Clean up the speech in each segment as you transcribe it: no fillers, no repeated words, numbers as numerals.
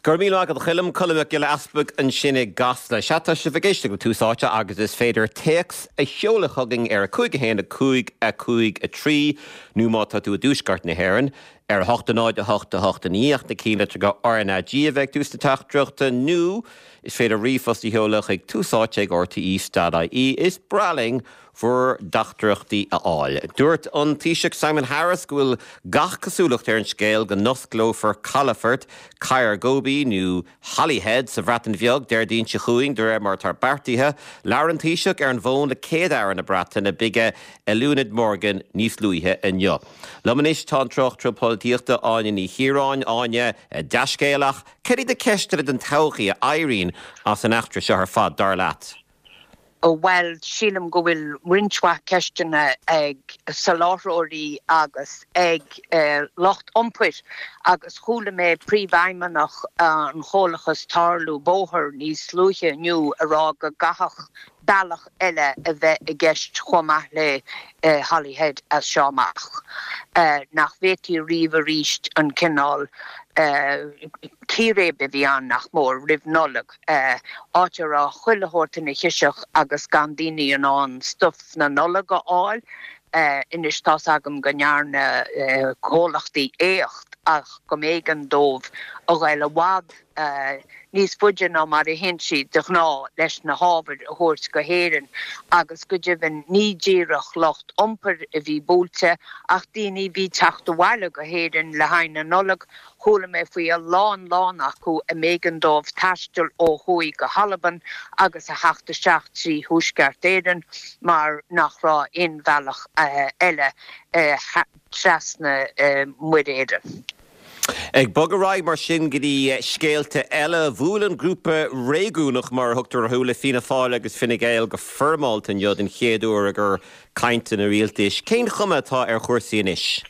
Go raibh míle maith agat a Choilm, Colm Mac Giolla Easpaig ansin i gCasla. Sea, tá sibh ag éisteacht le Tús Áite agus is féidir téacs a sheoladh chugainn ar 5 1 5 5 3 nó má tá tú i dtuaisceart na hÉireann, ar 8 0 8 8 9 ach na cinnlitreacha RnaG a bheith ag tús na teachtaireachta nó is féidir ríomhphost a sheoladh chuig túsáite ag rte.ie. Is breá linn bhur dteachtaireachtaí a fháil. Dúirt an Taoiseach Simon Harris go bhfuil gach cosúlacht ar an scéal go n-osclófar calafort Caergybi nó Holyhead sa Bhreatain Bheag Déardaoin seo chugainn de réir mar atá beartaithe. Labhair an Taoiseach ar an bhfón le Céad-Aire na Breataine Bige Eluned Morgan níos luaithe inniu. Liom anois tá an tráchtaire polaitíochta Áine Ní Chiaráin. Áine, dea-scéal ach cad iad na ceisteanna don todhchaí a éiríonn as an eachtra seo ar fad, dar leat? Bhuel, sílim go bhfuil roinnt mhaith ceisteanna ag soláthróirí agus ag lucht iompair agus chuala mé príomhfheidhmeannach an chomhlachais Tarlú Bóthair níos luaithe inniu ag rá go gcaithfeadh bealach eile a bheith i gceist chomh maith le Holyhead as seo amach, nach bhféadfaí riamh arís an cineál círéib a bhí ann, nach mór, roimh Nollaig. áit a raibh chuile shórt ina chiseach agus gan daoine in ann stuif na Nollag a fháil. Anois tá's agam go ndearna comhlachtaí éacht ach go mb'éigean dóibh a ghoil i bhfad níos faide ná mar a théann siad de ghnáth leis na hábhair a thabhairt go hÉirinn agus go deimhin ní díreach lucht iompair a bhí buailte ach daoine a bhí teacht abhaile go hÉirinn le haghaidh na Nollag Chuala mé faoi a lán lán acu a mb'éigean dóibh taisteal ó thuaidh go hAlbain agus a theacht isteach trí Thuaisceart Éireann mar nach raibh aon bhealach eile trasna Muir Éireann. Ag bogadh ar aghaidh mar sin go dtí scéalta eile, bhuail an grúpa réigiúnach, mar a thugtar orthu, le Fianna Fáil agus Fine Gael go foirmeálta inniu den chéad uair i gcomhair cainteanna rialtais. Cén chuma atá ar chúrsaí anois?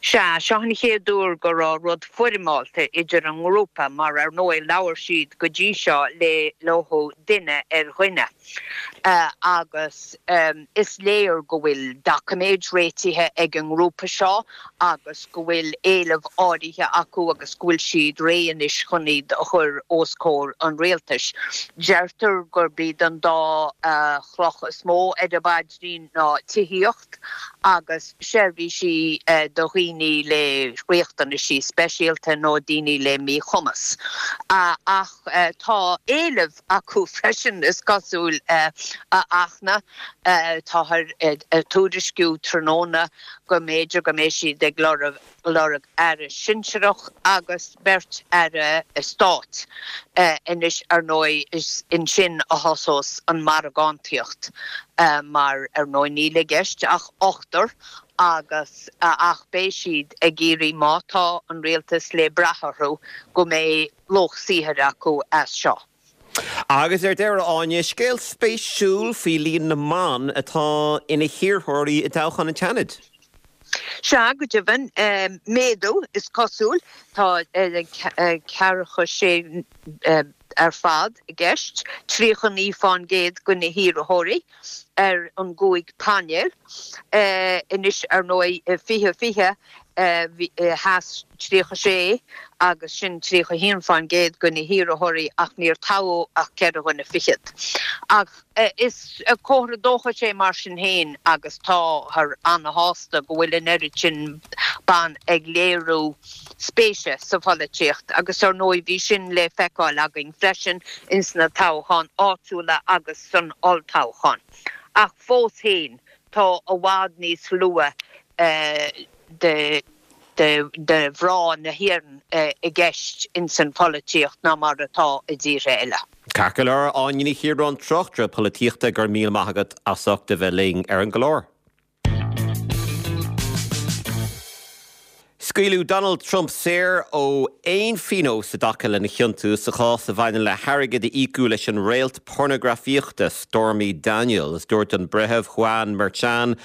Sea, seo an chéad uair go raibh rud foirmeálta idir an ngrúpa mar ar ndóigh labhair siad go dtí seo le leo duine ar dhuine. Agus is léir go bhfuil doiciméid réitithe ag an ngrúpa seo agus go bhfuil éilimh áirithe acu agus go bhfuil siad réidh anois chun iad a chur os comhair an rialtais. Deirtear gurb iad an dá chloch is mó ar a bpaidrín ná tithíocht, agus seirbhísí do dhaoine le riachtanaisí speisialta nó daoine le míchumas. Ach tá éilimh acu freisin, is cosúil, a Fhachtna. Táthar ag tuairisciú tráthnóna go mb'fhéidir go mbeidh siad ag lorg lorg aire sinsearach agus beirt aire stáit. Anois, ar ndóigh, is ansin a thosós an mhargántaíocht mar, ar ndóigh, níl i gceist ach ochtar agus ach beidh siad ag iarraidh, má tá an rialtas le brath orthu, go mbeidh lucht saothair acu as seo. Agus ar deireadh, Áine, scéal spéisiúil faoi líon na mban atá ina hiarrthóirí i dtoghchán an tSeanaid. Sea, go deimhin, méadú, is cosúil. Tá ceathracha sé ar fad i gceist, 39 fán gcéad de na hiarrthóirí ar an gcúig painéal. Anois, ar ndóigh, i 2020, Sheas 36 agus sin 31 fán gcéad de na hiarrthóirí ach níor toghadh ach ceithre dhuine fichead. Ach is comhartha dóchais é mar sin féin agus táthar ana-shásta go bhfuil an oiread sin ban ag léiriú spéise sa pholaitíocht agus ar ndóigh bhí sin le feiceáil againn freisin ins na toghcháin áitiúla agus san olltoghchán. Ach fós féin tá i bhfad níos lú de mhná na hÉireann i gceist ins an pholaitíocht ná mar atá i dtíortha eile. Ceart go leor, Áine Ní Chiaráin, tráchtaire polaitíochta, go raibh míle maith agat as ucht a bheith linn ar an gclár. Scaoileadh Donald Trump saor ó aon phionós i dtaca lena chiontú sa chás a bhaineann le hairgead a íocadh leis an réalt pornagrafaíochta Stormy Daniels. Dúirt an Breitheamh Juan Merchan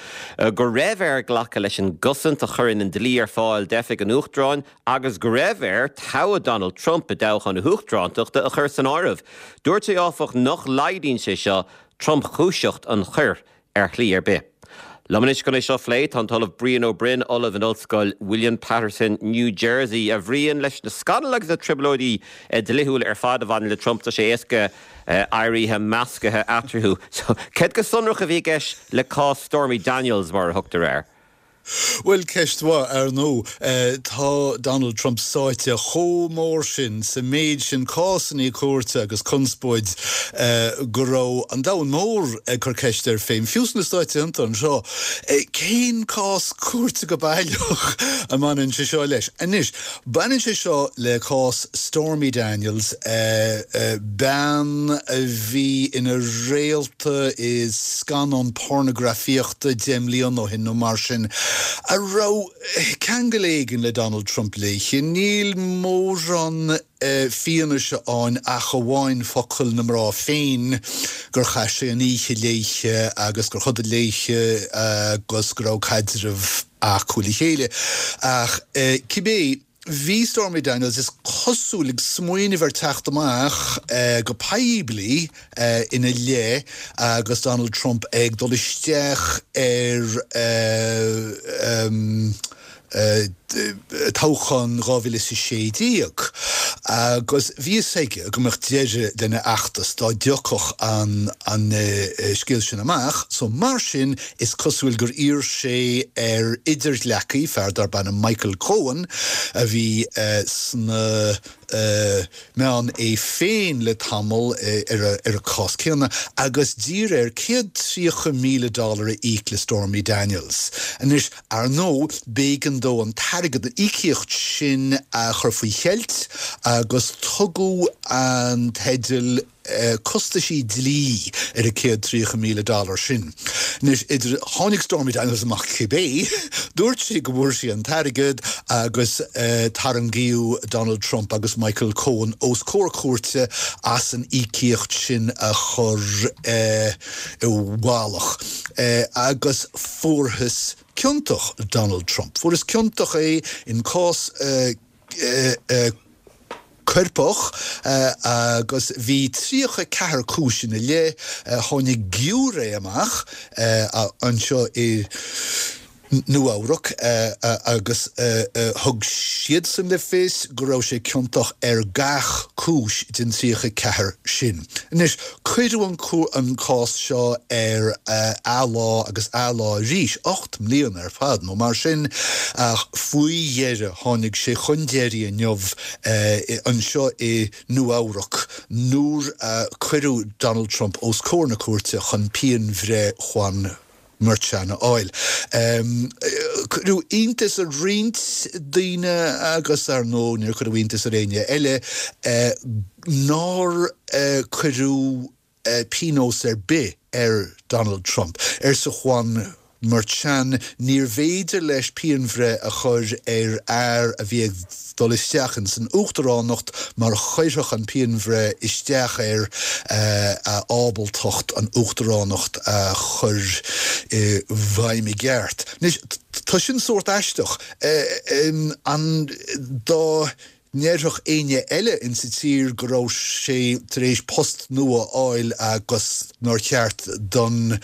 go raibh air glacadh leis an gcosaint a chuireann an dlí ar fáil d'oifig an Uachtaráin agus go raibh air toghadh Donald Trump i dtoghchán na huachtarántachta a chur san áireamh. Dúirt sé áfach nach laghdaíonn sé seo tromchúiseacht an choir ar shlí ar bith. Liom anois chun é seo a phlé tá an tOllamh Brian Ó Broin, Ollamh in Ollscoil William Paterson, New Jersey. A Bhriain, leis na scannail agus na trioblóidí dlíthiúla ar fad a bhaineann le Trump, tá sé éasca éirithe meascaithe eatarthu. So, céard go sonrach a bhí i gceist le cás Stormy Daniels, mar a thugtar air? Bhuel, ceist mhaith, ar ndóigh. Tá Donald Trump sáite chomh mór sin sa méid sin cásannaí cúirte agus conspóid go raibh an domhan mór ag cur ceist air féin, fiú sna Stáit Aontaithe anseo, cén cás cúirte go baileach a mbaineann sé seo leis? Anois, baineann sé seo le cás Stormy Daniels, bean a bhí ina réalta i scannán pornagrafaíochta 10 mbliana ó shin nó mar sin, a raibh ceangal éigin le Donald Trump léi. Níl mórán fianaise ann ach amháin focail na mná féin gur chaith sé an oíche léi agus gur chodail léi agus go raibh caidreamh acu le chéile. Ach cibé. Bhí Stormy Daniels, is cosúil, ag smaoineamh ar teacht amach go poiblí ina leith agus Donald Trump ag dul isteach ar toghchán 2016 agus bhí fhios aige go mbeadh deireadh lena fheachtas dá dtiocfadh an scéal sin amach so mar sin Is cosúil gur iarr sé ar idirghleacaí, fear darb ainm Michael Cohen, a bhí sna meáin é féin le tamall ar an cás céanna, agus d'iarr air 130,000 dollar a íoc le Stormy Daniels. Anois, ar ndóigh, b'éigean dó an t-airgead, an íocaíocht sin a chur faoi cheilt agus tugadh an teideal costaisí dlí ar an 130,000 dollar sin. Anois, idir, tháinig Stormy Daniels amach cibé, dúirt sí go bhfuair sí an t-airgead agus tarraingíodh Donald Trump agus Michael Cohen os comhair cúirte as an íocaíocht sin a chur i bhfolach agus fuarthas ciontach Donald Trump. Fuarthas ciontach é in cás coirpeach agus bhí 34 cúis ina leith. Tháinig giúiré amach anseo i Nua Eabhrac agus thug siadsan le fios go raibh sé ciontach ar gach cúis den 34 sin. Anois, cuireadh an cás seo ar athlá agus athlá arís, 8 mbliana ar fad nó mar sin, ach faoi dheireadh tháinig sé chun deiridh inniu anseo i Nua Eabhrac nuair a cuireadh Donald Trump os comhair na cúirte chun pianbhreith Juan Merchan a fháil. Cuireadh iontas ar roinnt daoine agus ar ndóigh níor cuireadh iontas ar éinne eile nár cuireadh pionós ar bith ar Donald Trump. Arsa Juan Merchan, níorbh fhéidir leis pianbhreith a chur ar fhear a bhí ag dul isteach ins an uachtaránacht mar chuirfeadh an pianbhreith isteach ar a ábaltacht an uachtaránacht a chur i bhfeidhm i gceart. Anois, tá sin sórt aisteach. An dá ndéarfadh éinne eile insa tír go raibh sé tar éis post nua a fháil agus nár cheart don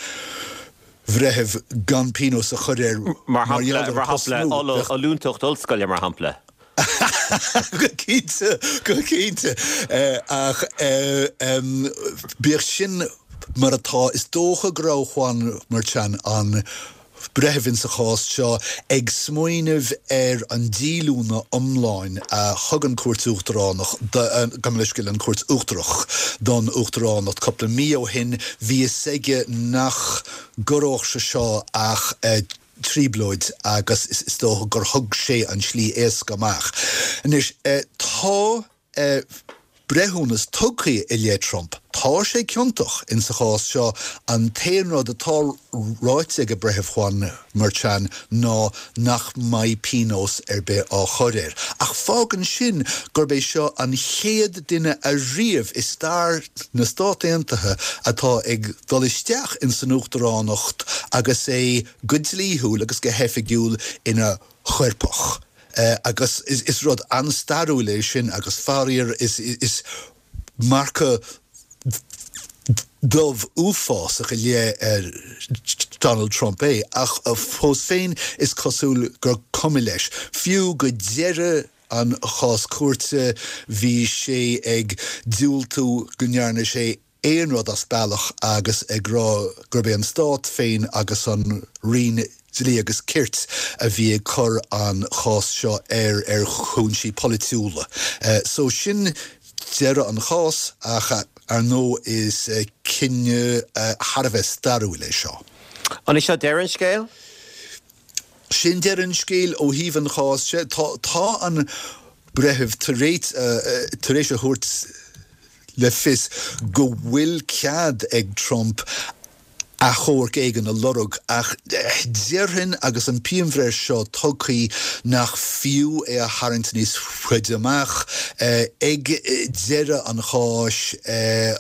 bhreitheamh gan pionós a chur air mar gheall ar an post nua. Mar shampla, ollúntacht ollscoile, mar shampla. Go cinnte, go cinnte. Ach bíodh sin mar atá, is dócha go raibh Juan Merchan an breitheamh insa chás seo ag smaoineamh ar an díolúine iomlán a thug an Chúirt Uachtaránach, gabh mo leithscéal, an Chúirt Uachtarach don Uachtaránacht cúpla mí ó shin. Bhí fhios aige nach gcorródh sé seo ach trioblóid agus is dócha gur thug sé an tslí éasca amach. Anois, tá. breithiúnas tugtha i leith Trump. Tá sé ciontach insa chás seo. An t-aon rud atá ráite ag an Breitheamh Juan Merchan ná nach mbeidh pionós ar bith á chur air. Ach fágann sin gurb é seo an chéad duine ariamh i stair na Stát Aontaithe atá ag dul isteach insan uachtaránacht agus é go dlíthiúil agus go hoifigiúil ina choirpeach. Agus is rud an-stairiúil é sin agus faraor is marcadh Dubh uafásach i leith Donald Trump é, ach fós féin is cosúil gur cuma leis. Fiú go deireadh an chás cúirte bhí sé ag diúltú go ndearna sé aon rud as bealach agus ag rá gurb é an stát féin agus an Roinn Dlí agus Cirt a bhí ag cur an chás seo air ar chúinsí polaitiúla. So sin deireadh an chás ach ar ndóigh is cinneadh thar a bheith stairiúil é seo. An é seo deireadh an scéil? Sin deireadh an scéil ó thaobh an chás de. Tá an breitheamh tar éis tar éis a thabhairt le fios go bhfuil cead ag Trump achomharc éigin a lorg, ach déarfainn agus an pianbhreith seo tugtha nach fiú é a tharraingt níos faide amach. Ag deireadh an cháis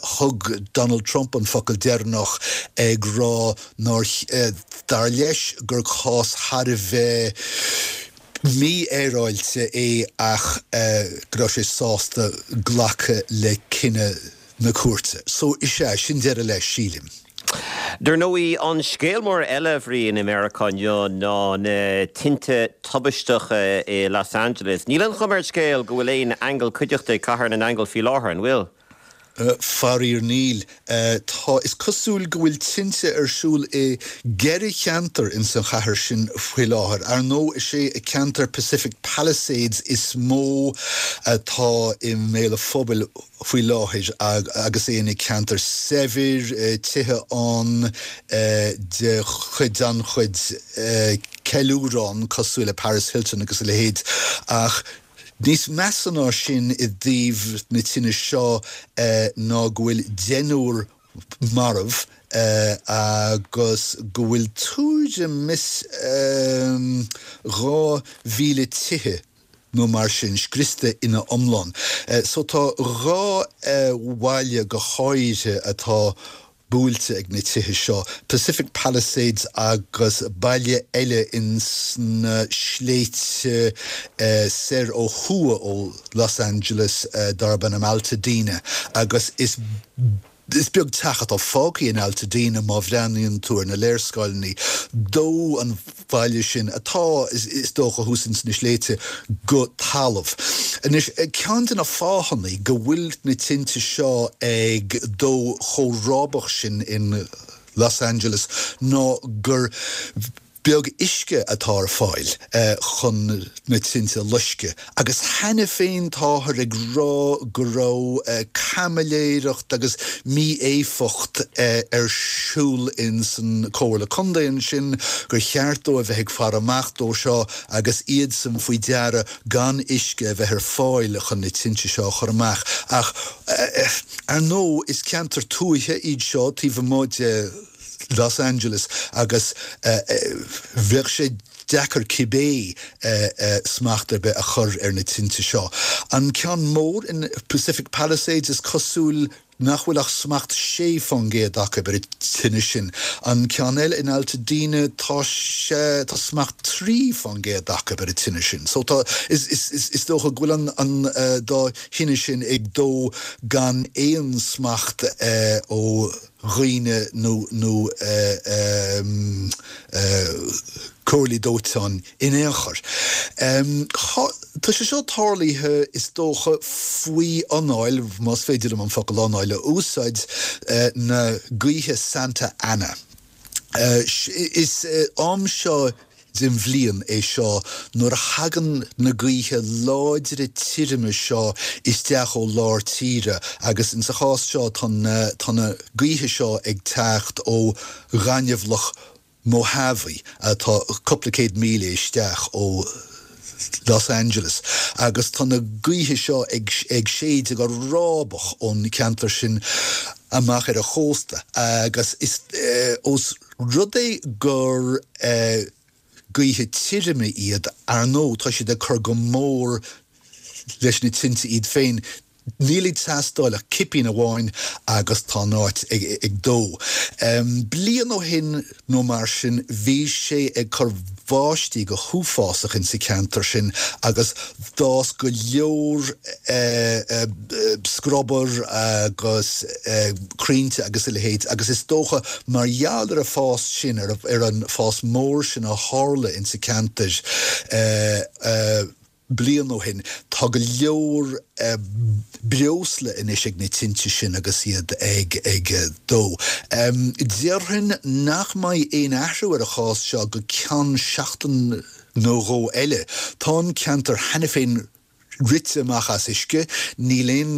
thug Donald Trump an focal deireanach ag rá nár, dar leis, gur cás thar a bheith mífhéaráilte é ach go raibh sé sásta glacadh le cinneadh na cúirte. So, is ea, sin deireadh leis, sílim. Dar ndóigh, an scéal mór eile, a Bhriain, i Meiriceá inniu ná na tinte tubaisteacha i Los Angeles. Níl an chuma ar an scéal go bhfuil aon aingeal cuideachta ag Cathair na nAingeal faoi láthair, an bhfuil? Faraor níl. Tá, is cosúil go bhfuil tinte ar siúl i gceithre cheantar ins an chathair sin faoi láthair. Ar ndóigh is é ceantar Pacific Palisades is mó atá i mbéal an phobail faoi láthair agus é ina ceantar saibhir, tithe ann de chuid an-chuid ceiliúrán cosúil le Paris Hilton agus a leithéid ach Níos measa ná sin i dtaobh na tine seo ná go bhfuil deichniúr marbh agus go bhfuil tuairim is 2,000 tithe nó mar sin scriosta ina iomlán. So tá dhá bhaile go háirithe atá buailte ag na tithe seo, Pacific Palisades agus baile eile ins na sléibhte soir ó thuaidh ó Los Angeles darb ainm Altadena agus is is beag teach atá fágtha in Altadena má bhreathnaíonn tú ar na léarscáileanna. Dódh an baile sin, atá, is dócha, thuas ins na sléibhte, go talamh. Anois, ceann de na fáthanna go bhfuil na tinte seo ag dó chomh rábach sin in Los Angeles ná gur beag uisce atá ar fáil chun na tinte a loisceadh. Agus cheana féin táthar ag rá go raibh caimiléireacht agus mí-éifeacht ar siúl ins an Comhairle Contae ansin, gur cheart dóibh a bheith ag faire amach dó seo agus iadsan faoi deara gan uisce a bheith ar fáil chun na tinte seo a chur amach. Ach ar ndóigh is ceantair tuaithe iad seo taobh amuigh de Los Angeles agus bheadh sé deacair cibé smacht ar bith a chur ar na tinte seo. An ceann mór in Pacific Palisades, is cosúil nach bhfuil ach smacht 6% acu ar an tine sin. An ceann eile in Altadena, tá sé, tá smacht 3% acu ar an tine sin. So tá, is, is, is dócha go bhfuil an, an dá thine sin ag dó gan aon smacht ó dhaoine nó nó comhairlí dóiteáin in aon chor. Tá sé seo tarlaithe, is dócha, faoi anáil, más féidir liom an focal anáil a úsáid, na gaoithe Santa Ana. Is am seo den bhliain é seo nuair a thagann na gaoithe láidre tirime seo isteach ó lár tíre agus insa chás seo tá na tá na gaoithe seo ag teacht ó ghaineamhlach Mojave atá cúpla céad míle isteach ó Los Angeles agus tá na gaoithe seo ag ag séideadh go rábach ón cheantar sin amach ar an chósta agus is ós rud é gur gaoithe tirime iad, ar ndóigh, tá siad ag cur go mór leis na tinte iad féin. Níl ag teastáil ach cipín amháin agus tá an áit ag dó. Bliain ó shin nó mar sin bhí sé ag cur báistí go huafásach insa cheantar sin agus d'fhás go leor scrobar agus crainnte agus a leithéid agus is dócha mar gheall ar an fás sin, ar an fás mór sin a tharla insa cheantar, bliain ó shin. Tá go leor breosla anois ag na tinte sin agus iad ag dó. Déarfainn nach mbeidh aon athrú ar an chás seo go ceann seachtain nó dhó eile. Tá an ceantar cheana féin rite amach as uisce, níl aon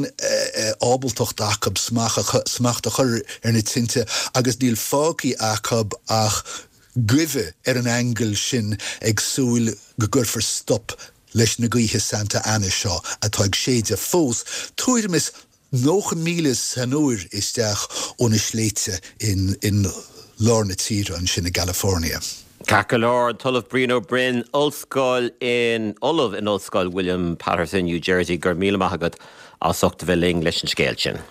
ábaltacht acu smacht a chur ar na tinte agus níl fágtha acu ach goimh ar an aingeal sin ag súil go gcuirfear stop leis na gaoithe Santa Ana seo atá ag séideadh fós tuairim is 90 míle san uair isteach ó na sléibhte in lár na tíre ansin i gCalifornia. Ceart go leor, an tOllamh Brian Ó Broin, Ollscoil in Ollamh in Ollscoil William Paterson, New Jersey, go raibh míle maith agat as ucht a bheith linn leis an scéal sin.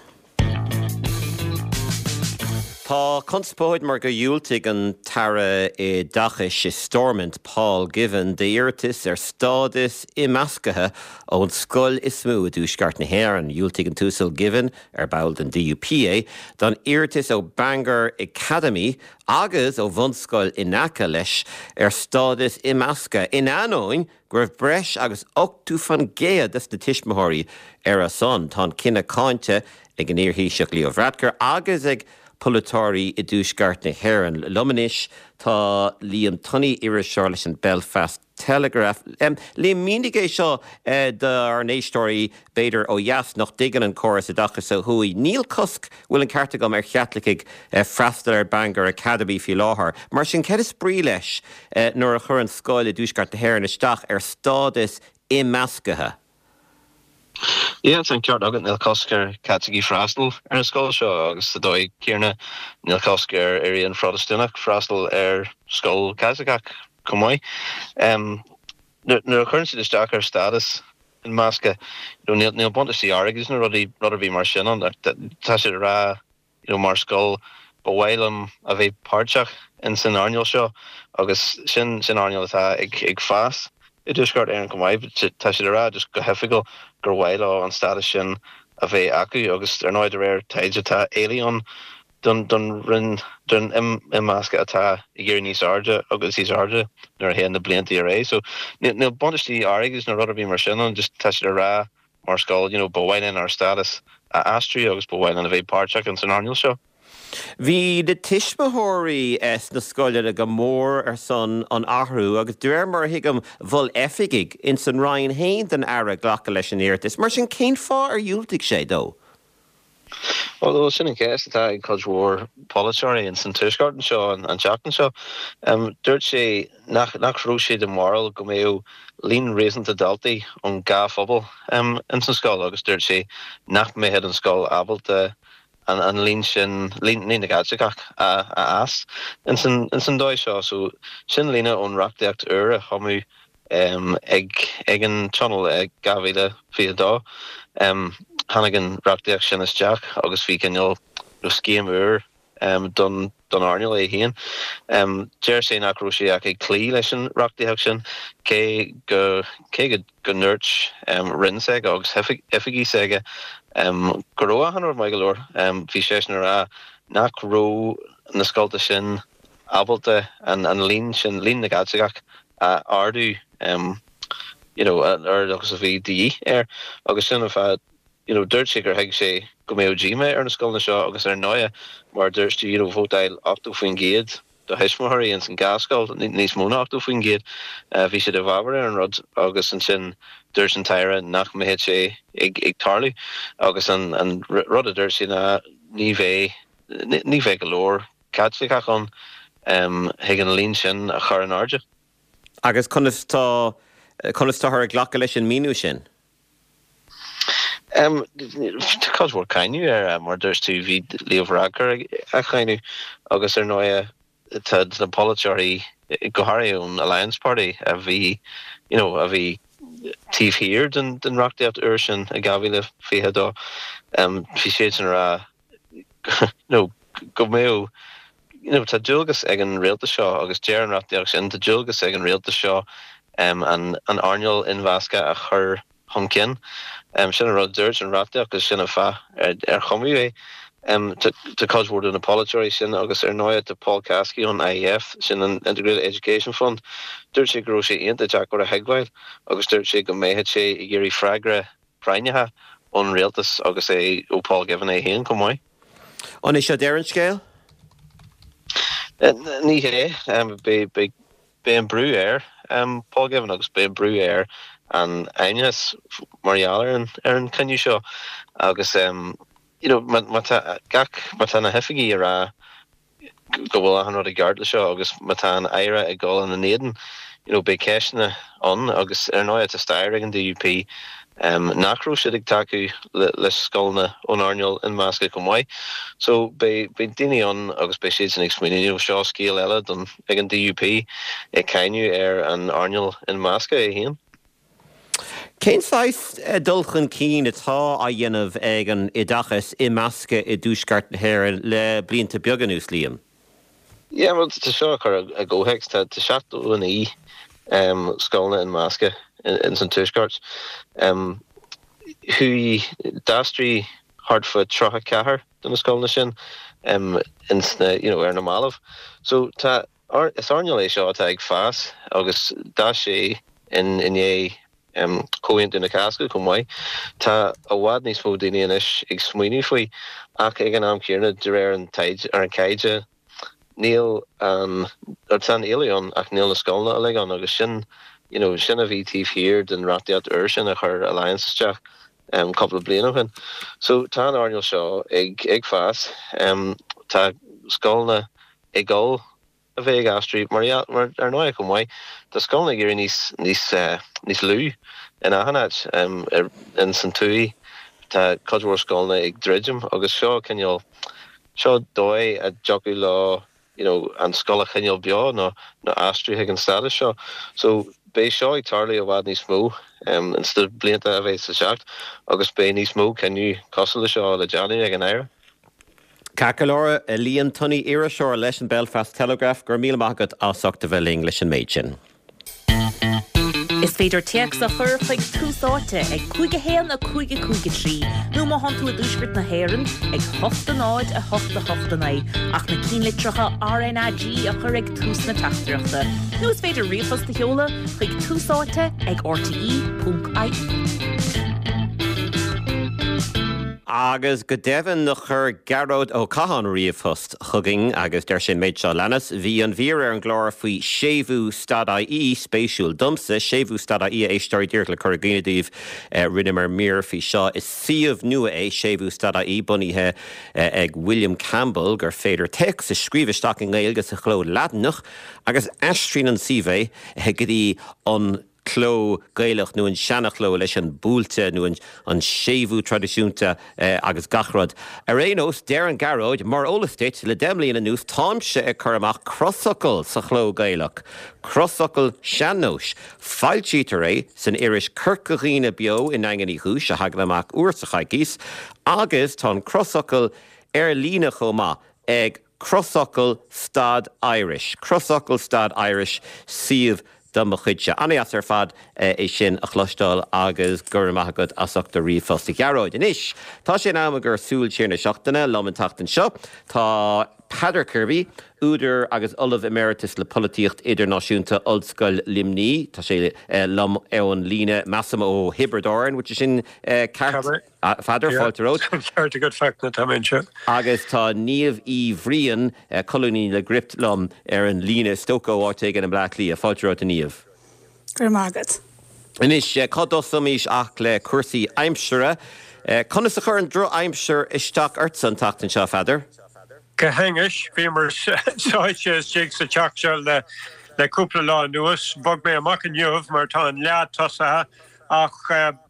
Tá conspóid mar gur dhiúltaigh an tAire Oideachais i Stormont, Paul Givan, d'iarratas ar stádas imeasctha ón scoil is mó i dtuaisceart na hÉireann. Dhiúltaigh an tUasal Givan, ar ball den DUP é, don iarratas ó Bangor Academy agus ó bhunscoil in aice leis ar stádas imeasctha, in ainneoin go raibh breis agus 80% des na tuismitheoirí ar a son. Tá an cinneadh cáinte ag an iar-Thaoiseach Leo Varadkar agus ag polaiteoirí i dTuaisceart na hÉireann. Liom anois tá Liam Tunney, iriseoir leis an Belfast Telegraph. Liam, mínigh é seo dár n-éisteoirí, b'fhéidir ó dheas, nach dtuigeann an córas oideachais ó thuaidh. Níl cosc, bhfuil an ceart agam, ar Chaitlicigh freastal ar Bangor Academy faoi láthair. Mar sin, céard is brí leis nuair a chuireann scoil i dTuaisceart na hÉireann isteach ar stádas imeasctha? Yeah, tá an ceart agat, níl cosc ar Chaitlicigh freastal ar an scoil seo agus sa dóigh céanna níl cosc ar aon Phrotastúnach freastal ar scoil Chaitliceach chomh maith. Nuair a chuireann siad isteach ar stádas imeasctha, you know, níl buntáistí airgid nó rudaí, rud ar bith mar sin ann. Tá siad ag rá, you know, mar scoil, ba mhaith liom a bheith páirteach in san earnáil seo agus sin sin earnáil atá ag ag fás i dTuaisceart Éireann chomh maith. Tá siad ag rá just go hoifigiúil gur mhaith leo an stádas sin a bheith acu agus ar ndóigh de réir taighde tá éileamh ann don don roinn don imeascadh atá ag éirí níos airde agus níos airde nuair a théann na blianta ar aghaidh. So níl níl buntáistí airgid nó rud ar bith mar sin ann, just tá siad ag rá mar scoil, you know, ba mhaith linn ár stádas a aistriú agus ba mhaith linn a bheith páirteach ins an earnáil seo. Bhí na tuismitheoirí sna scoileanna go mór ar son an athrú agus de réir mar a thuigim mhol oifigigh ins an Roinn féin don Aire glacadh leis an iarratas. Mar sin cén fáth ar dhiúltaigh sé dó? Bhuel, sin an cheist atá ag cuid mhór polaiteoirí ins an Tuaisceart anseo an tseachtain seo. Dúirt sé nach nach raibh sé den bharúil go mbeadh líon réasúnta daltaí ón dhá phobal ins an scoil agus dúirt sé nach mbeadh an scoil ábalta an líon sin, líon na gCaitliceach a fhás ins an dóigh seo. So sin líne ón reachtaíocht úr a cumadh ag an Tionól i 2022. Tháinig an reachtaíocht sin isteach agus bhí cineál scéim úr don don earnáil é féin. Deir sé nach raibh sé ach ag cloí leis an reachtaíocht sin, cé go cé go go ndúirt Roinn s'aige agus oifigigh s'aige go raibh achan rud maith go leor. Bhí seisean ag rá nach raibh na scolta sin ábalta an líon sin, líon na gCaitliceach, a ardú you know an oiread agus a bhí de dhíth air agus sin an fáth you know dúirt sé gur thuig sé go mbeadh díomá ar na scoileanna seo agus ar ndóigh mar a dúirt tú you know vótáil 80% do thuismitheoirí ins an dhá scoil, níos mó ná 80%, bhí siad i bhfabhar ar an rud agus ansin dúirt an tAire nach mbeadh sé ag ag tarlú agus an an rud a dúirt sé ná ní bheidh ní bheidh go leor Caitliceach ann chuig an líon sin a chur in airde. Agus conas tá, conas táthar ag glacadh leis an míniú sin? Tá cuid mhór cáineadh air, mar dúirt tú, bhí Leo Varadkar á cháineadh agus ar ndóigh tá na polaiteoirí, go háirithe ón Alliance Party a bhí, you know, a bhí. taobh thiar den reachtaíocht úr sin i 2022, bhí siadsan ag rá you know go mbeadh you know tá dualgas ag an rialtas seo agus deir an reachtaíocht sin tá dualgas ag an rialtas seo an an earnáil inmheasctha a chur chun cinn. Sin an rud a dúirt an reachtaíocht agus sin an fáth ar cumadh é. Tá cuid mhór de na polaiteoirí sin agus ar ndóigh tá Paul Caskey ón IEF, sin an Integrated Education Fund, dúirt sé go raibh sé iontach deacair a thuigbheáil agus dúirt sé go mbeadh sé ag iarraidh freagra práinneach ón rialtas agus é ó Paul Givan é féin chomh maith. An é seo deireadh an scéil? Ní hé. Beidh Beidh an brú ar Paul Givan agus beidh an brú ar an Fheidhmeannas mar gheall ar an ar an cinneadh seo agus you know má má tá gach má tá na hoifigigh ag rá go bhfuil achan rud i gceart le seo agus má tá an Aire ag dul ina n-éadan you know beidh ceisteanna ann agus ar ndóigh tá stair ag an DUP nach raibh siad ag tacú le scoileanna ón earnáil imeasctha chomh maith. So beidh beidh daoine ann agus beidh siadsan ag smaoineamh you know seo scéal eile don ag an DUP ag cáineadh ar an earnáil imeasctha é féin. Cén saghas dul chun cinn atá á dhéanamh ag an oideachas imeasctha i dTuaisceart na hÉireann le blianta beaga anuas, Liam? Yeah, bhuel, tá seo á chur i gcomhthéacs, tá 79 scoileanna imeasctha ins an Tuaisceart. Chuaigh, d'aistrigh thart fá 34 de na scoileanna sin ins na, you know, ar na mallaibh. So tá, is earnáil é seo atá ag fás agus d'fhás sé in i ndiaidh Chomhaontú na Cásca chomh maith. Tá i bhfad níos mó daoine anois ag smaoineamh faoi ach ag an am céanna, de réir an taighde, ar an taighde, níl an, tá an éileamh ann ach níl na scoileanna uilig ann agus sin, you know, sin a bhí taobh thiar den reachtaíocht úr sin a chuir Alliance isteach cúpla bliain ó shin. So tá an earnáil seo ag, ag fás. Tá scoileanna ag dul a bheith ag aistriú mar, mar ar ndóigh chomh maith, tá scoileanna ag éirí níos, níos, níos lú in achan áit. Ins an tuaith tá cuid mhór scoileanna ag druidim agus seo cineál, seo dóigh a dtiocfadh leo you know an scoil a choinneáil beo nó, nó aistriú chuig an stádas seo. So beidh seo ag tarlú i bhfad níos mó ins na blianta a bheas le teacht agus beidh níos mó cinneadh cosúil le seo le déanamh ag an Aire. Ceart go leor, a Liam Tunney, iriseoir leis an Belfast Telegraph, go raibh míle maith agat as ucht a bheith linn leis an méid sin. Is féidir téacs a chur chuig Tús Áite ag 5 1 5 5 3 nó má thánn tú i dTuaisceart na hÉireann ag 8 0 8 8 9 ach na cinnlitreacha RnaG a chur ag tús na teachtaireachta. Nó is féidir ríomhphost a sheoladh chuig Tús Áite ag rte.ie. Agus go deimhin chuir Gearóid Ó Catháin ríomhphost chugainn agus deir sé an méid seo a leanas, Bhí an mhír ar an gclár faoi séimhiú stad IE spéisiúil domsa. Séimhiú stad IE, a éisteoirí, díreach le cur i gcuimhne daoibh, rinneamar mír faoi seo. Is suíomh nua é séimhiú stad IE, bunaithe ag William Campbell, gur féidir téacs a scríobh isteach i nGaeilge sa chló Laidineach agus aistríonn an suíomh é go dtí an cló Gaelach nó an seanachló leis an buailte nó an séimhiú traidisiúnta agus gach rud. Ar aon nós, deir an Gearóid, mar eolas duit, le 10 mbliana anuas táimse ag cur amach crosfhocal sa chló Gaelach, crosfhocal sean-nóis. Foilsítear é san iris Corca Dhuibhne Beo i nDaingean Uí Chúis a thagann amach uair sa choicís agus tá an crosfhocal ar líne chomh maith ag Crosfhocal stad Irish, Crosfhocal stad Irish, suíomh de mo chuidse. An-deas ar fad é sin a chloisteáil agus go raibh maith agat as ucht do ríomhphost a Ghearóid. Anois, tá sé in am ag ár Súil Siar na Seachtaine. Liom an tseachtain seo tá Peadar Kirby, údar agus Ollamh Emeritus le Polaitíocht Idirnáisiúnta, Ollscoil Luimnigh. Tá sé liom ar an líne, measaim ó Thiobraid Árann, bhfuil sé sin ceart? A Pheadair, fáilte romhat. Ceart agat Fachtna, tá mé anseo. Agus tá Niamh Uí Bhriain, colúnaí le Gript liom ar an líne, is dócha ó áit éigin i mBleá Cliath. Fáilte romhat a Niamh. Go raibh maith agat. Anois, cá dtosóimis ach le cúrsaí aimsire. Conas a chuir an drochaimsir isteach ortsa an tseachtain seo, a Pheadair? Go hainnis, bhíomar sáite istigh sa teach seo le cúpla lá anuas. Bhog mé amach inniu mar tá an leá tosaithe ach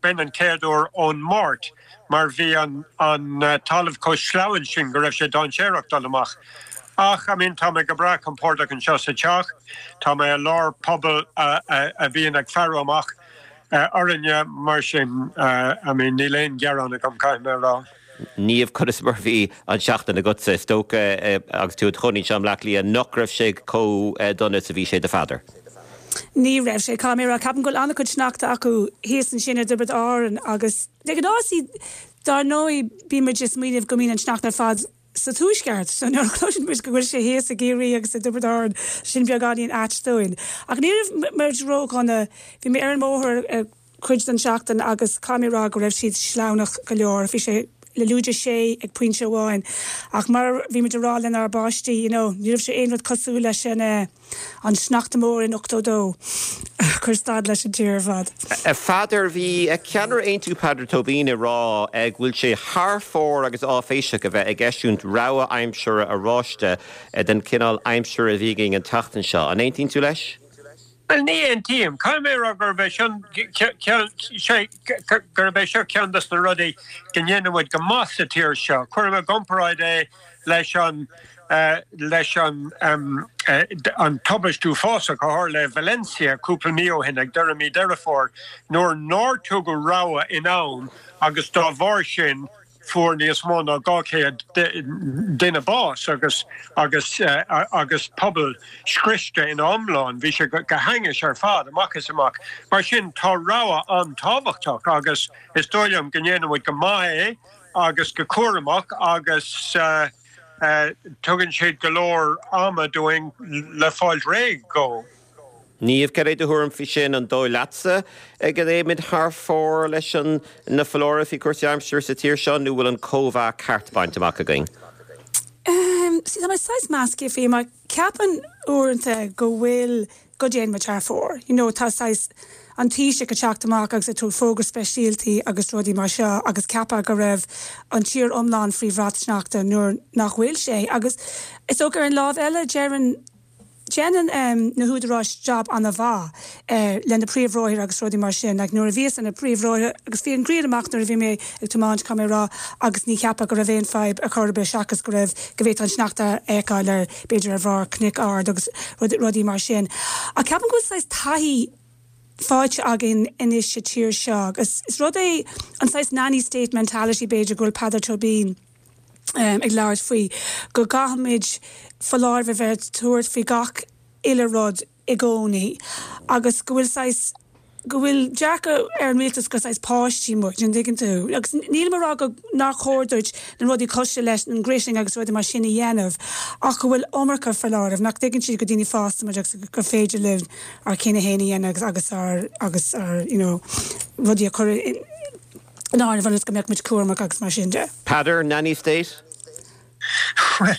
b'in an chéad uair ón Máirt mar bhí an talamh chomh sleamhain sin go raibh sé dainséarach dul amach. Ach, I mean, tá mé go breá compordach anseo sa teach, tá mé i lár pobal a bhíonn ag faire amach. Orainne, mar sin, I mean, níl aon ghearán agam, caithfidh mé a rá. Niamh, conas mar a bhí an tseachtain agatsa? Is dócha, agus tú i do chónaí anseo i mBleá Cliath, nach raibh sé chomh dona is a bhí sé do Pheadar? Ní raibh sé, caithfidh mé a rá. Ceapaim go bhfuil an-chuid sneachta acu thíos ansin i dTiobraid Árann agus de ghnáth, see, dár ndóigh, bíonn muid ag smaoineamh go mbíonn an sneachta ar fad sa Tuaisceart. So nuair a chloiseann muid go bhfuil sé thíos i gCiarraí agus i dTiobraid Árann, sin beagáinín ait dúinn. Ach ní raibh muid ródhona. Bhí mé ar an mbóthar ar cuid den seachtain agus caithfidh mé a rá go raibh siad sleamhnach go leor. Bhí sé le lúide 6 ag pointe amháin. Ach mar a bhí muid a rá lenár bpáistí, you know, ní raibh sé aon rud cosúil leis an eh, An sneachta mór in 82 a chuir stad leis an tír ar fad. A Pheadair, bhí ceannaire Aontú Peadar Tóibín ag rá go bhfuil sé thar fóir agus áiféiseach a bheith ag eisiúint rabhadh aimsire oráiste den chineál aimsire a bhí againn an tseachtain seo. An aontaíonn tú leis? Bhuel, ní aontaím. Caithfidh mé a rá gurb é seo gurb é seo ceann dos na rudaí go ndéanann muid go maith sa tír seo. Cuirim i gcomparáid é leis an leis an an tubaist uafásach a tharla i Valencia cúpla mí ó shin, ag deireadh mí Deireadh Fómhair, nuair nár tugadh rabhadh in am agus dá bharr sin fuair níos mó ná 200 duine bás agus agus agus pobal scriosta ina iomlán. Bhí sé go hainnis ar fad, amach is amach. Mar sin tá rabhadh an-tábhachtach agus is dóigh liom go ndéanann muid go maith é agus go cúramach agus tugann siad go leor ama dúinn le fáilt réidh dhó. Niamh, cad é do thuairim faoi sin? An dóigh leatsa go dtéimid thar fóir leis an na foláirimh faoi chúrsaí aimsire sa tír seo nó bhfuil an cóimheá ceart bainte amach againn? See, tá mé saghas measctha faoi mar ceapaim uaireanta go bhfuil go dtéann muid thar fóir. You know, tá saghas an Taoiseach ag teacht amach agus ag tabhairt fógra speisialtaí agus rudaí mar seo agus ceapadh go raibh an tír iomlán faoi bhrat sneachta nuair nach bhfuil sé. Agus is dócha ar an lámh eile deireann, déanann na húdaráis jab ana-mhaith le na príomhbhóithre agus rudaí mar sin. Like nuair a bhíos ar na príomhbhóithre agus bhí an ghrian amach nuair a bhí mé ag tiomáint, caithfidh mé a rá, agus ní cheapfá go raibh aon fadhb ar chor ar bith seachas go raibh, go bhféadfá an sneachta a fheiceáil ar b'fhéidir ar bharr cnoic ard agus rudaí mar sin. Ach ceapaim go bhfuil saghas taithí faighte againn anois sa tír seo agus is rud é an saghas nanny state mentality b'fhéidir go bhfuil Peadar Tóibín ag labhairt faoi, go gcaithfimid foláireamh a bheith ag tabhairt faoi gach uile rud i gcónaí agus go bhfuil saghas, go bhfuil dearcadh ar an rialtas gur saghas páistí muid, an dtuigeann tú? Agus nílim ag rá go, nár chóir duit na rudaí cosúil leis an gritting agus rudaí mar sin a dhéanamh ach go bhfuil iomarca foláireamh, nach dtuigeann siad gur daoine fásta muid agus gur féidir linn ár gcinneadh féin a dhéanamh agus agus ár, agus ár, you know, rudaí a chur in áireamh ionas go mbeadh muid cúramach agus mar sin de. Peadar, Nanny State? Bhuel,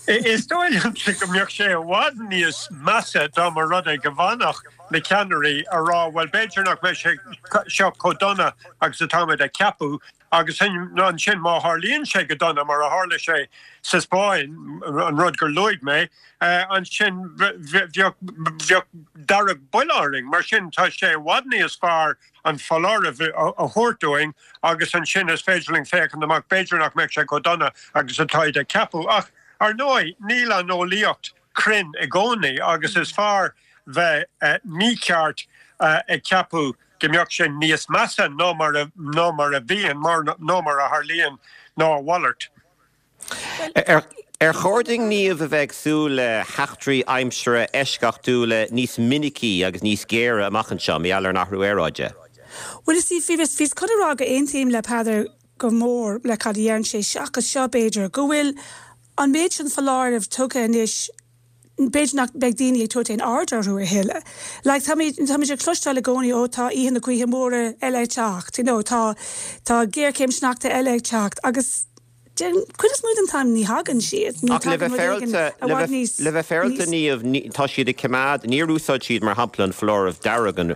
is dóigh liomsa go mbeadh sé i bhfad níos measa dá mba rud é go bhfanfadh na ceannairí a rá, bhuel, b'fhéidir nach mbeidh sé seo chomh dona agus atáimid ag ceapadh, agus ansin má tharlaíonn sé go dona, mar a tharla sé sa Spáinn, an rud gur luaigh mé, ansin bheadh dearg buile orainn. Mar sin, tá sé i bhfad níos fearr an foláireamh a thabhairt dúinn agus ansin is féidir linn féachaint amach, b'fhéidir nach mbeidh sé chomh dona agus atáid ag ceapadh. Ach, ar ndóigh, níl an eolaíocht cruinn i gcónaí agus is fearr bheith mícheart ag ceapadh go mbeadh sé níos measa ná mar a ná mar a bhíonn, ná mar a tharlaíonn ná a mhalairt. Ar chóir dúinn, Niamh, a bheith ag súil le heachtraí aimsire eisceachtúla níos minicí agus níos géire amach anseo, mar gheall ar an athrú aeráide? Bhuel, you see, bhíos chun a rá go aontaím le Peadar go mór le cad a dheireann sé, seachas seo, b'fhéidir, go bhfuil an méid sin foláireamh tugtha anois b'fhéidir nach mbeidh daoine ag tabhairt aon aird orthu a thuilleadh. Like, táimid, táimid ag cloisteáil i gcónaí, ó tá oíche na gaoithe móire eile ag teacht, you know, tá, tá géarchéim sneachta eile ag teacht agus den chuid is mó den t-am ní thagann siad, ní Ach le tagann bheith rud éigin féaráilte, i le bhfad bheith, níos, le bheith féaráilte níos. Niamh, ní, tá siad ag coimeád, níor úsáid siad mar shampla an foláireamh dearg an,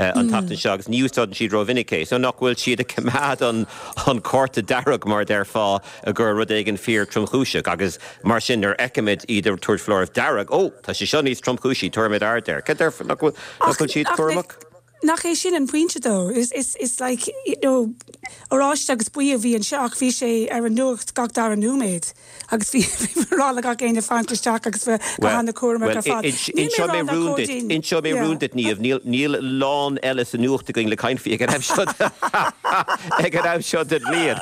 an tseachtain seo agus ní úsáideann siad rómhinic é. So nach bhfuil siad ag coimeád an, an cárta dearg mar a déarfá go raibh rud éigin fíor tromchúiseach agus mar sin nuair a fheicimid iad ag tabhairt foláireamh dearg, ó, tá sé seo níos tromchúisí, tabharfaimid aird air. Cad déarfá, nach bhfuil, nach Ach, bhfuil siad ach le, cúramach? nach é sin an pointe though? Is, is, is like, you know, oráiste agus buí a bhí anseo ach bhí sé ar an nuacht gach dara nóiméad agus bhí bhí mé ag rá le gach éinne fanacht isteach agus bheith go hana-chúramach ar fad. Níl mé ag rá nach cóir dúinn, Inseoidh mé rún duit, Niamh, níl, níl a lán eile sa nuacht againn le caint faoi ag an am seo, ag an am seo den bhliain.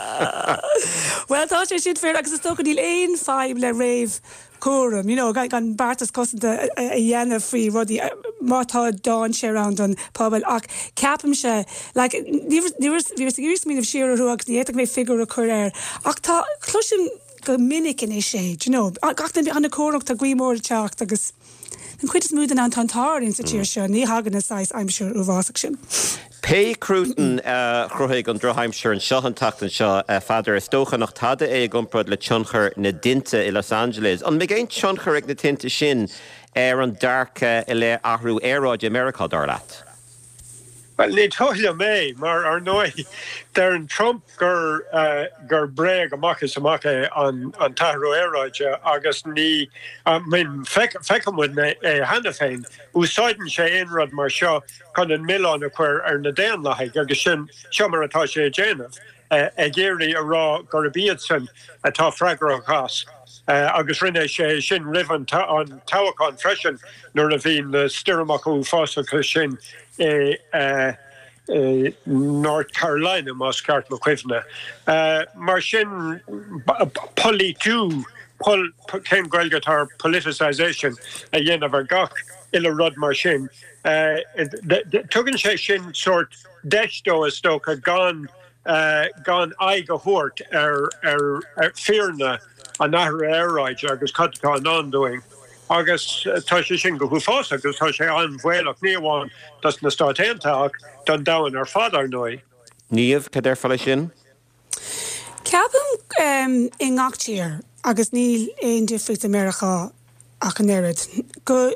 Bhuel, tá sé sin fíor agus is dócha níl aon fadhb le réamh cúram, you know, gan beartas cosanta a dhéanamh faoi rudaí má tá dainséar ann don pobal ach ceapaimse, like, ní bhíos ag iarraidh smaoineamh siar orthu agus ní fhéadfadh mé figiúr a chur air ach tá, cloisim go minic anois é, do you know, gach duine ana-chúramach, tá gaoth mór ag teacht agus den chuid is mó den am tá an t-ádh orainn sa tír seo, ní thagann an saghas aimsir uafásach sin. Pé cruatan a chruthaigh an drochaimsir anseo an tseachtain seo, a Pheadair, is dócha nach tada é i gcomparáid le tionchar na dtinte i Los Angeles. An mbeidh aon tionchar ag na tinte sin ar an dearcadh i leith athrú aeráide i Meiriceá, dar leat? Bhuel, ní dóigh liom é, mar ar ndóigh, deireann Trump gur gur bréag amach is amach é an t-athrú aeráide agus ní, I mean, feiceann muid é cheana féin. Úsáideann sé aon rud mar seo chun an milleán a chur ar na Daonlathaigh agus sin, seo mar atá sé ag déanamh, ag iarraidh a rá gurb iadsan atá freagrach as. Agus rinne sé sin roimh an toghchán freisin nuair a bhí na stoirmeacha uafásacha sin i North Carolina, más ceart mo chuimhne. Mar sin, polaitiú, cén Ghaeilge atá ar politicisation, a dhéanamh ar gach uile rud mar sin. Tugann sé sin sórt deis dó, is dócha, gan gan aghaidh a thabhairt ar ar fírinne an athraithe aeráide agus cad atá i ndán dúinn. Agus tá sé sin go huafásach agus tá sé an-bhaolach, ní amháin dos na Stáit Aontaithe ach don domhan ar fad, ar ndóigh. Niamh, cad déarfá leis sin? Ceapaim i ngach tír, agus níl aon difríocht i Meiriceá ach an oiread, go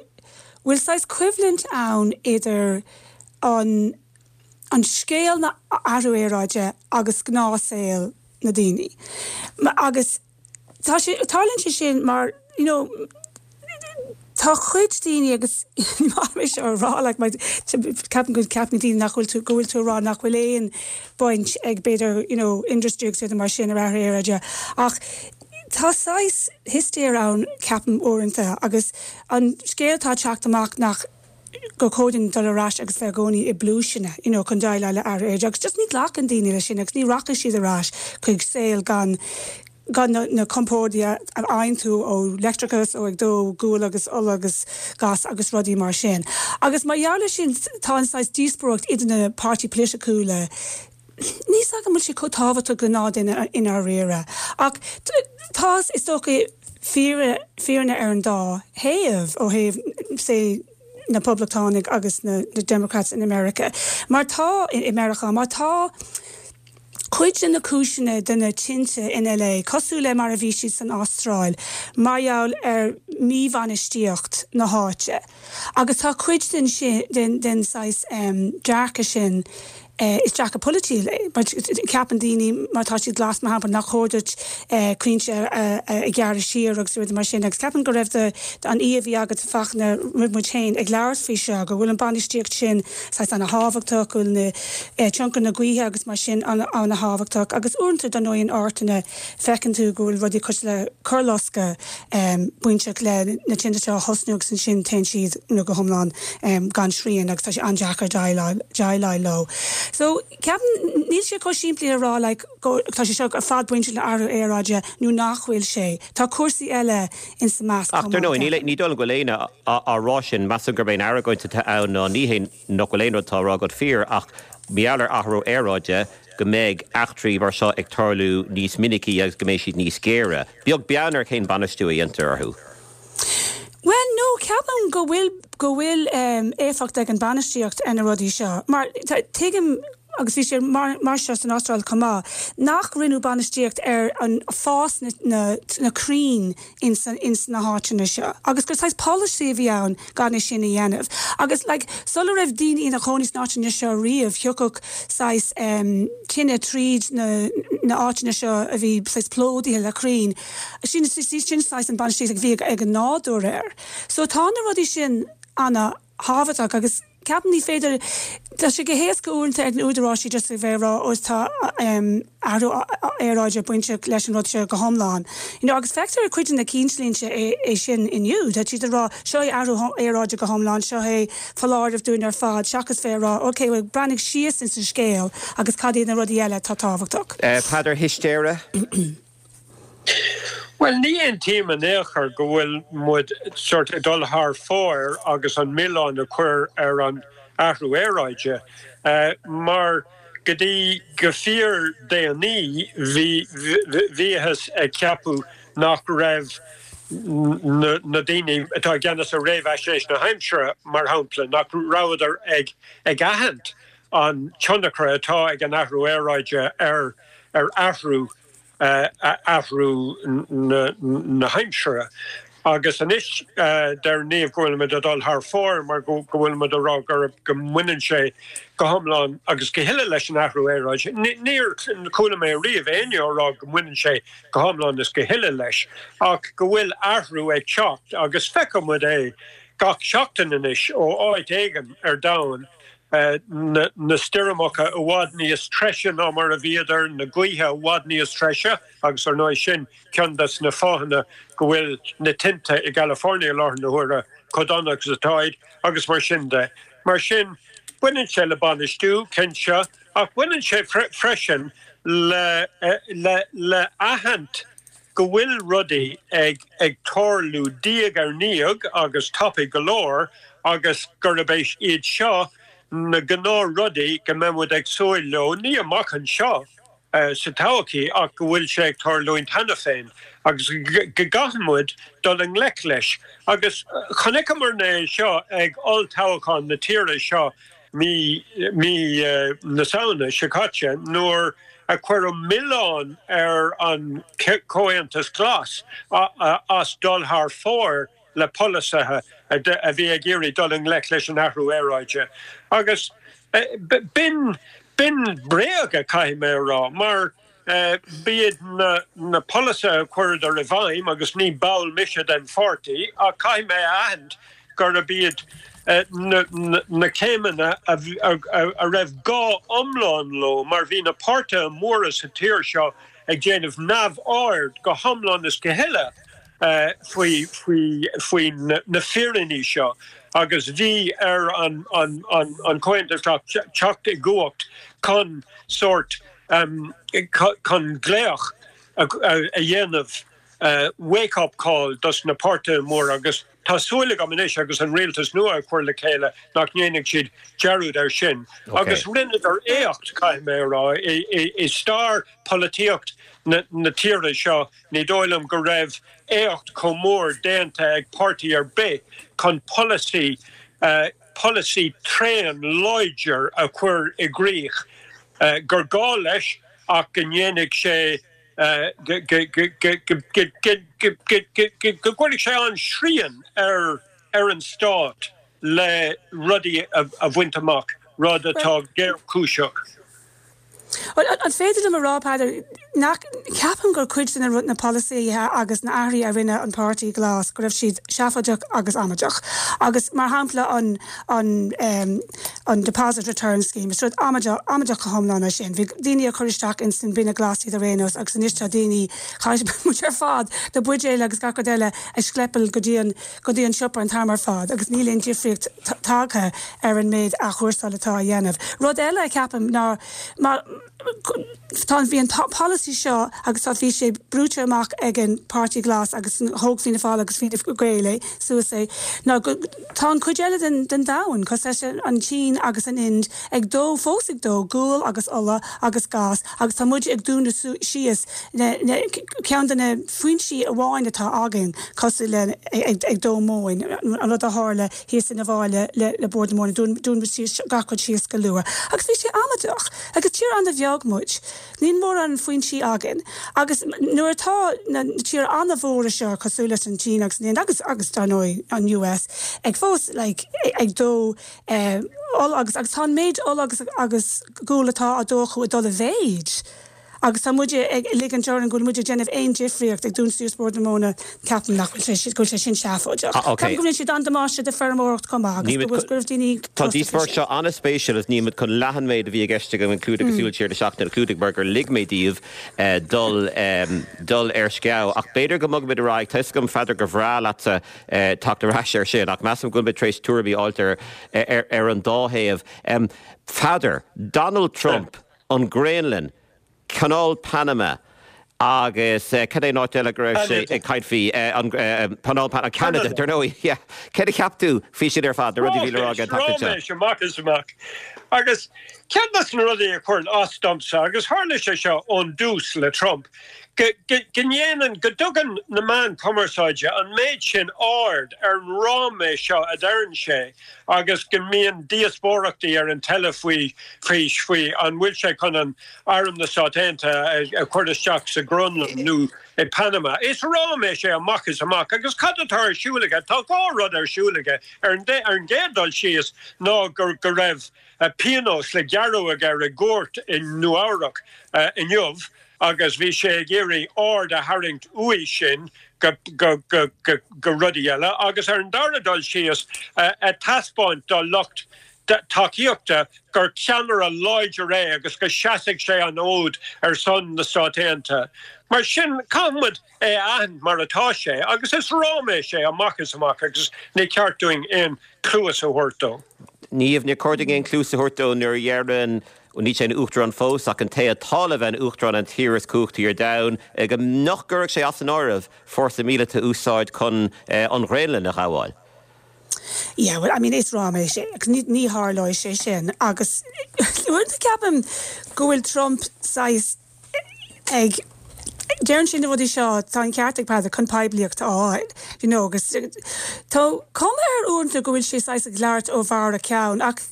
bhfuil saghas coimhlint ann idir an an scéal na athrú aeráide agus gnáthshaol na daoine. Agus tá sé, tarlaíonn sé sin mar, you know, tá cuid daoine agus ní maith liom é seo a rá like mar ceapaim go gceapann daoine nach bhfuil tú, go bhfuil tú ag rá nach bhfuil aon baint ag b'fhéidir you know industry agus rudaí mar sin ar athrú aeráide ach tá saghas histéir ann ceapaim uaireanta agus an scéal atá ag teacht amach nach gur chóir dúinn dul ar ais agus bheith i gcónaí i bpluaiseanna you know chun déileáil le athrú aeráide agus just ní ghlacann daoine leis sin agus ní rachaidh siad ar ais chuig saol gan gan na na compórdaí a fhaigheann tú ó leictreachas ó ag dó gual agus ola agus gas agus rudaí mar sin. Agus mar gheall ar sin tá an saghas díospóireacht idir na páirtí polaiticiúla Níl 's agam an bhfuil sé chomh tábhachtach do ghnáthduine i ndáiríre. Ach tá, is dócha, fírinne ar an dá thaobh, ó thaobh, say, na Poblachtánaigh agus na Democrats in America. Mar tá, i Meiriceá, mar tá cuid de na cúiseanna de na tinte in LA, cosúil le mar a bhí siad san Astráil, mar gheall ar mhíbhainistíocht na háite. Agus tá cuid den sin, den saghas dearcadh sin, is dearcadh polaitiúil é. Mar ceapann daoine, má tá siad glas, mar shampla, nach chóir duit crainnte a ghearradh siar agus rudaí mar sin. Agus ceapaim go raibh an aoi a bhí agat, Fachtna, roimh muid féin ag labhairt faoi seo, go bhfuil an bainistíocht sin saghas ana-thábhachtach, go bhfuil na tionchar na gaoithe agus mar sin ana-thábhachtach. Agus uaireanta, dar ndóigh, in áiteanna feiceann tú go bhfuil rudaí cosúil le coirloscadh bainteach le na tinte seo a thosnú agus ansin téann siad go hiomlán gan srian agus tá sé an-deacair déileáil leo. So ceapaim níl sé chomh simplí a rá like go tá sé seo ar fad bainteach le athrú aeráide nó nach bhfuil sé. Tá cúrsaí eile insa measc chomh maith. Ach dar ndóigh ní dóigh liom go bhfuil éinne á rá sin, measaim gurb é an argóint atá ann ná ní hé nach bhfuil aon rud atá á rá agat fíor ach mar gheall ar athrú aeráide go mbeidh eachtraí mar seo ag tarlú níos minicí agus go mbeidh siad níos géire, beag beann ar cén bainistiú a dhéantar orthu. Bhuel, no, ceapaim go bhfuil, go bhfuil éifeacht ag an bainistíocht ar na rudaí seo. Mar tuigim, agus bhí sé mar, mar seo san Astráil chomh maith, nach rinneadh bainistíocht ar an fás na, na, na crainn ins, ins na háiteanna seo. Agus gur saghas polasaí a bhí ann gan é sin a dhéanamh. Agus like, sula raibh daoine ina chónaí sna háiteanna seo riamh, thiocfadh saghas em tine tríd na, na áiteanna seo a bhí saghas plódaithe le crainn. Sin, sin saghas an bainistíocht a bhí ag an nádúr air. So tá na rudaí sin ana thábhachtach agus. Ceapaim ní féidir, tá sé go héasca uaireanta ag na údaráisí just a bheith ag rá ó tá athrú aeráide bainteach leis an rud seo go hiomlán. You know, agus feictear i cuid de na cinnlínte é, é sin inniu. Tá siad ag rá seo é athrú aeráide go hiomlán, seo é foláireamh dúinn ar fad, seachas bheith ag rá ok, bhuel breathnaigh síos ins an scéal agus cad iad na rudaí eile atá tábhachtach. Peadar Histéire. Bhuel, ní aontaím in aon chor go bhfuil muid sort ag dul thar fóir agus an milleán a chur ar an athrú aeráide, mar go dtí go fíor déanaí bhí bhíothas ag ceapadh nach raibh na daoine atá i gceannas ar réamhaisnéis na haimsire, mar shampla, nach rabhadar ag aithint an tionchar atá ag an athrú aeráide ar athrú athrú na haimsire. Agus anois deir Niamh go bhfuilimid ag dul thar fóir mar go bhfuilimid ag rá go mbaineann sé go hiomlán agus go huile leis an athrú aeráide. Níor chuala mé riamh éinne á rá go mbaineann sé go hiomlán is go huile leis ach go bhfuil athrú ag teacht agus feicimid é gach seachtain anois ó áit éigin ar domhan. na stoirmeacha i bhfad níos treise ná mar a bhíodar, na gaoithe i bhfad níos treise agus ar ndóigh sin ceann des na fáthanna go bhfuil na tinte i gCalifornia i láthair na huaire chomh dona agus atáid agus mar sin de. Mar sin, baineann sé le bainistiú, cinnte, ach baineann sé freisin le le aithint go bhfuil rudaí ag ag tarlú diaidh ar ndiaidh agus tapaidh go leor agus gurb é iad seo na gnáthrudaí go mbeidh muid ag súil leo, ní amach anseo sa todhchaí ach go bhfuil sé ag tarlúint cheana féin agus go gcaithfidh muid dul i ngleic leis. Agus chonaiceamarna é seo ag olltoghchán na tíre seo mí mí na Samhna seo caite nuair a cuireadh milleán ar an Chomhaontas Glas as dul thar fóir le polasaithe a bhí ag iarraidh dul i ngleic leis an athrú aeráide. Agus b'in bréaga, caithfidh mé a rá, mar b'iad na polasaithe a chuireadar i bhfeidhm, agus ní ball mise den pháirtí, ach caithfidh mé a aithint gurb iad na céimeanna a raibh gá iomlán leo mar bhí na páirtithe móra sa tír seo ag déanamh neamhaird go hiomlán is go huile faoi faoi na fírinní seo agus bhí ar an Chomhaontas Glas teacht i gcumhacht chun sórt chun glaoch a dhéanamh wake up call dos na páirtithe móra agus tá súil agam anois agus an rialtas nua á chur le chéile nach ndéanfaidh siad dearúd air sin. Agus rinneadar éacht, caithfidh mé a rá, i stair polaitíocht na tíre seo ní dóigh liom go raibh éacht chomh mór déanta ag páirtí ar bith chun polasaí polasaí tréan láidir a chur i gcrích gur gá leis ach go ndéanfaidh sé go gcuirfidh sé an-srian ar an stát le rudaí a bhaint amach, rud atá géarchúiseach. An féidir liom a rá, Peadar, nach ceapaim gur cuid de na polasaithe agus na athruithe a rinne an Páirtí Glas go raibh siad seafóideach agus amaideach. Agus mar shampla an an an Deposit Return Scheme, is rud amaideach amaideach go hiomlán é sin. Bhí daoine ag cur isteach ins an binne glas iad ar aon nós agus anois tá daoine, chaith muid ar fad na buidéil agus gach rud eile a schleppáil go dtí an go dtí an siopa an t-am ar fad agus níl aon difríocht tagtha ar an méid athchúrsáil atá á dhéanamh. Rud eile a cheapaim ná má tá bhí an polasaí seo agus tá bhí sé brúite amach ag an Páirtí Glas agus thóg Fianna Fáil agus Fine Gael é suas é ná go tá an chuid eile den den domhan cosúil leis an tSín agus an Ind ag dó fós ag dó gual agus ola agus gás agus tá muid ag dúnadh síos na na ceann de na foinsí amháin atá againn cosúil le ag dó móin an rud a tharla thíos in Bhaile le Bord na Móna, dún muid síos gach rud síos go luath. Agus bhí sé amaideach. Agus tír an-bheag muid. Níl mórán foinsí againn. Agus nuair atá na tíortha an-mhóra seo cosúil leis an tSín agus an Ind agus agus dar ndóigh an US ag fós like ag dó ola agus agus tá an méid ola agus agus gual atá á dó acu ag dul i mhéid. Agus tá muide ag ligint orainn go bhfuil muid ag déanamh aon difríocht ag dúnadh suas Bord na Móna, ceapaim nach bhfuil sé, go bhfuil sé sin seafóideach. Ceapaim go rinne siad an-damáiste do feirmeoireacht chomh maith agus go bhfuil, go raibh daoine Tá an díospóireacht seo an-spéisiúil agus níl muid chun leath an méid a bhí i gceist agam a chlúdach i Súil Siar na Seachtaine a chlúdach mar gur lig mé daoibh dul dul ar sceabh. Ach b'fhéidir go mbogfaimid ar aghaidh. Tá 'fhios agam, Pheadair, gur bhreá leatsa teacht ar ais air sin ach measaim go bhfuil muid tar éis tuairimí a fháilt ar ar an dá thaobh. Pheadair, Donald Trump, an Ghraonlainn, Canáil Panama agus cad é an áit eile go raibh sé ag caint faoi? An Canáil Panama, Ceanada, dar ndóigh, yeah. Céard a cheap tú faoi sin ar fad, na rudaí a bhí le rá aige an tseachtain seo? Ráiméis amach is amach. Agus ceann de na rudaí a chuireann as domsa, agus tharla sé seo ón dtús le Trump, go ndéanann, go dtugann na meáin chumarsáide an méid sin aird ar an ráiméis seo a deireann sé agus go mbíonn díospóireachtaí ar an teilifís faoi, faoi an bhfuil sé chun an Arm na Stát Aontaithe a chur isteach sa Ghraonlainn nó i Panama. Is ráiméis é amach is amach. Agus cad atá ar siúl aige? Tá 2 rud ar siúl aige. Ar an gcéad dul síos ná go raibh pionós le gearradh aige i gcúirt i Nua Eabhrac inniu agus bhí sé ag iarraidh aird a tharraingt uaidh sin go rudaí eile agus ar an dara dul síos ag taispeáint dá lucht tacaíochta gur ceannaire láidir é agus go seasfaidh sé an fhód ar son na Stát Aontaithe. Mar sin, caithfidh muid é a aithint mar atá sé agus is ráiméis é amach is amach agus ní ceart dúinn aon chluas a thabhairt dó. Niamh, níor chóir dúinn aon chluas a thabhairt dó nuair a dheireann, níl sé ina uachtarán fós, ach an té atá le bheith ina uachtarán an tír is cumhachtaí ar domhan, go nach gcuirfeadh sé as an áireamh fórsa míleata a úsáid chun an Ghraonlainn a ghabháil. Yeah, well, I mean, is ráiméis é agus ní, ní tharlóidh sé sin agus uaireanta ceapaim go bhfuil Trump saghas ag, deireann sé na rudaí seo, tá an ceart ag Peadar, chun poiblíocht a fháil, you know, agus tá cuma air uaireanta go bhfuil sé saghas ag labhairt ó bharr a cheann ach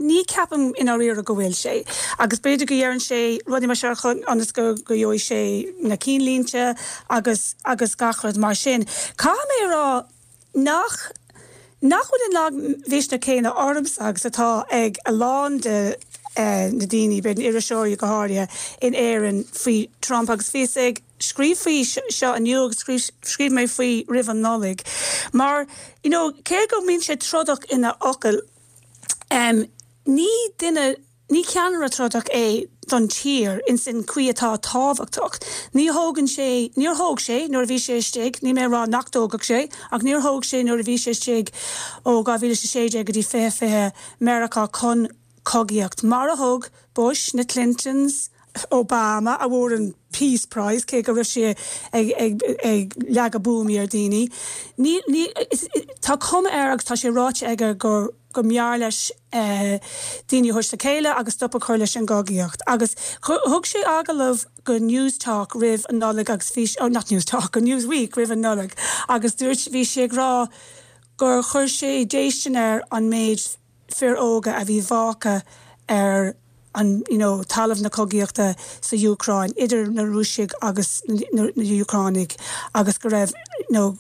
ní ceapaim i ndáiríre go bhfuil sé agus b'fhéidir go dheireann sé rudaí mar seo chun, ionas go, go gheobhaidh sé na cinnlínte agus, agus gach rud mar sin. Caithfidh mé a rá, Nach nach bhfuil an lagmhisneach céanna ormsa agus atá ag a lán de na daoine, b'fhéidir na iriseoirí go háirithe, in Éirinn faoi Trump agus bhíos ag scríobh faoi seo inniu agus scríobh mé faoi roimh an Nollaig mar you know cé go mbíonn sé trodach ina fhocail ní duine Ní ceannaire trodach é don tír ins an chaoi atá tábhachtach. Ní thógann sé, níor thóg sé nuair a bhí sé istigh, níl mé ag rá nach dtógfadh sé, ach níor thóg sé nuair a bhí sé istigh ó 2016 go dtí 2020 Meiriceá chun cogaíocht, mar a thug Bush, na Clintons, Obama, a bhfuair an Peace Prize, cé go raibh sé ag, ag, ag leagadh buamaí ar daoine. Ní, ní, tá cuma air agus tá sé ráite aige gur, go mb'fhearr leis daoine a thabhairt le chéile agus stop a chur leis an gcogaíocht. Agus thug sé agallamh go Newstalk roimh an Nollaig agus bhí, oh not Newstalk, go Newsweek roimh an Nollaig agus dúirt, bhí sé ag rá gur chuir sé déistin air an méid fir óga a bhí fágtha ar an you know talamh na cogaíochta sa Úcráin idir na Rúisigh agus na Úcránaigh agus go raibh you know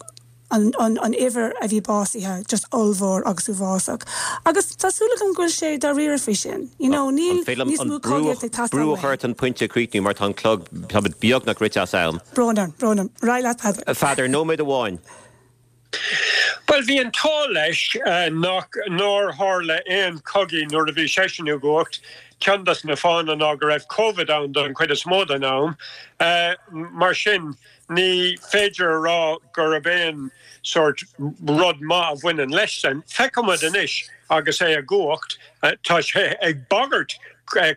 an an an uimhir a bhí básaithe just ollmhór agus uafásach. Agus tá súil agam go bhfuil sé dáiríre faoi sin. You know níl An féidir liom níos an mó brú cogaíochta ag teastáil brú a chur uainn. ort an pointe a chríochnú mar tá an clog, táimid beagnach rite as am. Brón orm, brón orm. Ar aghaidh leat Peadar. A Pheadair, nóiméad amháin. Bhuel, bhí an t-ádh leis nach, nár tharla aon chogaí nuair a bhí seisean i gcumhacht. Ceann des na fáthanna ná go raibh Covid ann don chuid is mó den am. Mar sin, ní féidir a rá gurb aon sórt rud maith a bhaineann leis san. Feicfimid anois agus é i gcumhacht. Tá sé ag bagairt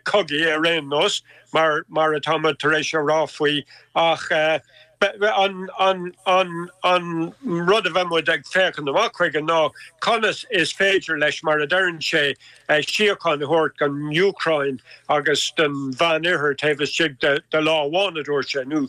cogaí ar aon nós, mar mar atáimid tar éis a rá faoi, ach An rud a bheidh muid ag féachaint amach chuige ná conas is féidir leis, mar a deireann sé, síocháin a thabhairt don Úcráin agus don Mheánoirthear taobh istigh de lá amháin, a dúirt sé, nó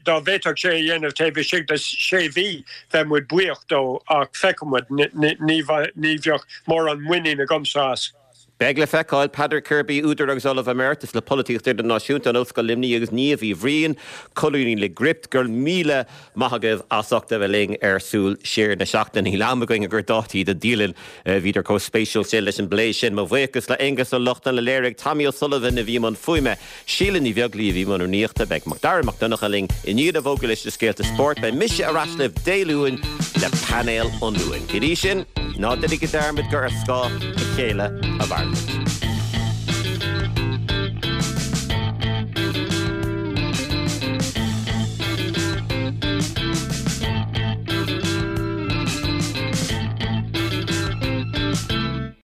dá bhféadfadh sé a dhéanamh taobh istigh de sé mhí, bheadh muid buíoch dó, ach feicfidh muid, ní bheadh mórán muinín agamsa as. Beidh le feiceáil. Peadar Kirby, údar agus Ollamh Emeritus le Polaitíocht Idirnáisiúnta in Ollscoil Luimnigh agus Niamh Uí Bhriain, colúnaí le Gript. Go raibh míle maith agaibh as ucht a bheith linn ar Súil Siar na Seachtaine. Níl am againn ag cur dátaí do dialann. Bhíodar chomh spéisiúil sin leis an bplé sin. Mo bhuíochas le Aonghus Ó Lochlainn a léirigh, Tommy O'Sullivan a bhí i mbun fuaime, Síle Ní Bheaglaoí a bhí i mbun rúnaíochta. Beidh Macdara Mac Donncha linn i ndiaidh na bhfógraí leis na scéalta spóirt. Beidh mise ar ais libh Dé Luain le painéal an Luain. Go dtí sin, ná déanaigí dearmad gur ar scáth a chéile a mhairimid.